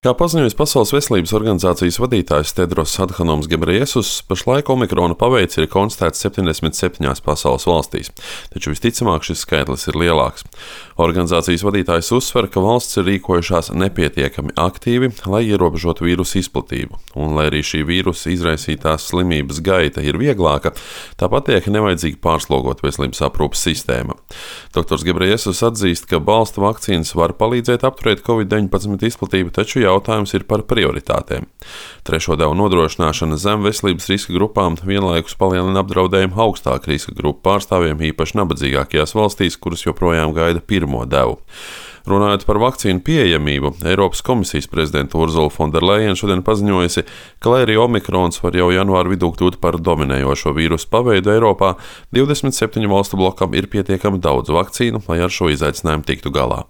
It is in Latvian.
Kā paziņojis Pasaules veselības organizācijas vadītājs Tedros Adhanoms Gebreyesus, pašlaik omikrona paveids ir konstatēts 77 pasaules valstīs, taču visticamāk šis skaitlis ir lielāks. Organizācijas vadītājs uzsver, ka valsts ir rīkojušās nepietiekami aktīvi, lai ierobežotu vīrusu izplatību, un lai arī šī vīrusa izraisītās slimības gaita ir vieglāka, tāpat tiek nevajadzīgi pārslogot veselības aprūpes sistēma. Dr. Gebreyesus atzīst, ka balsta vakcīnas var palīdzēt apturēt Covid-19 izplatību, taču jautājums ir par prioritātēm. Trešo devu nodrošināšana zem veselības riska grupām vienlaikus palielina apdraudējumu augstāku riska grupu pārstāvjiem, īpaši nabadzīgākajās valstīs, kuras joprojām gaida pirmo devu. Runājot par vakcīnu pieejamību, Eiropas komisijas prezidenta Urzula Fonderlejena šodien paziņojusi, ka, lai arī omikrons var jau janvāra vidū kļūt par dominējošo vīrusu paveidu Eiropā, 27 valstu blokam ir pietiekami daudz vakcīnu, lai ar šo izaicinājumu tiktu galā.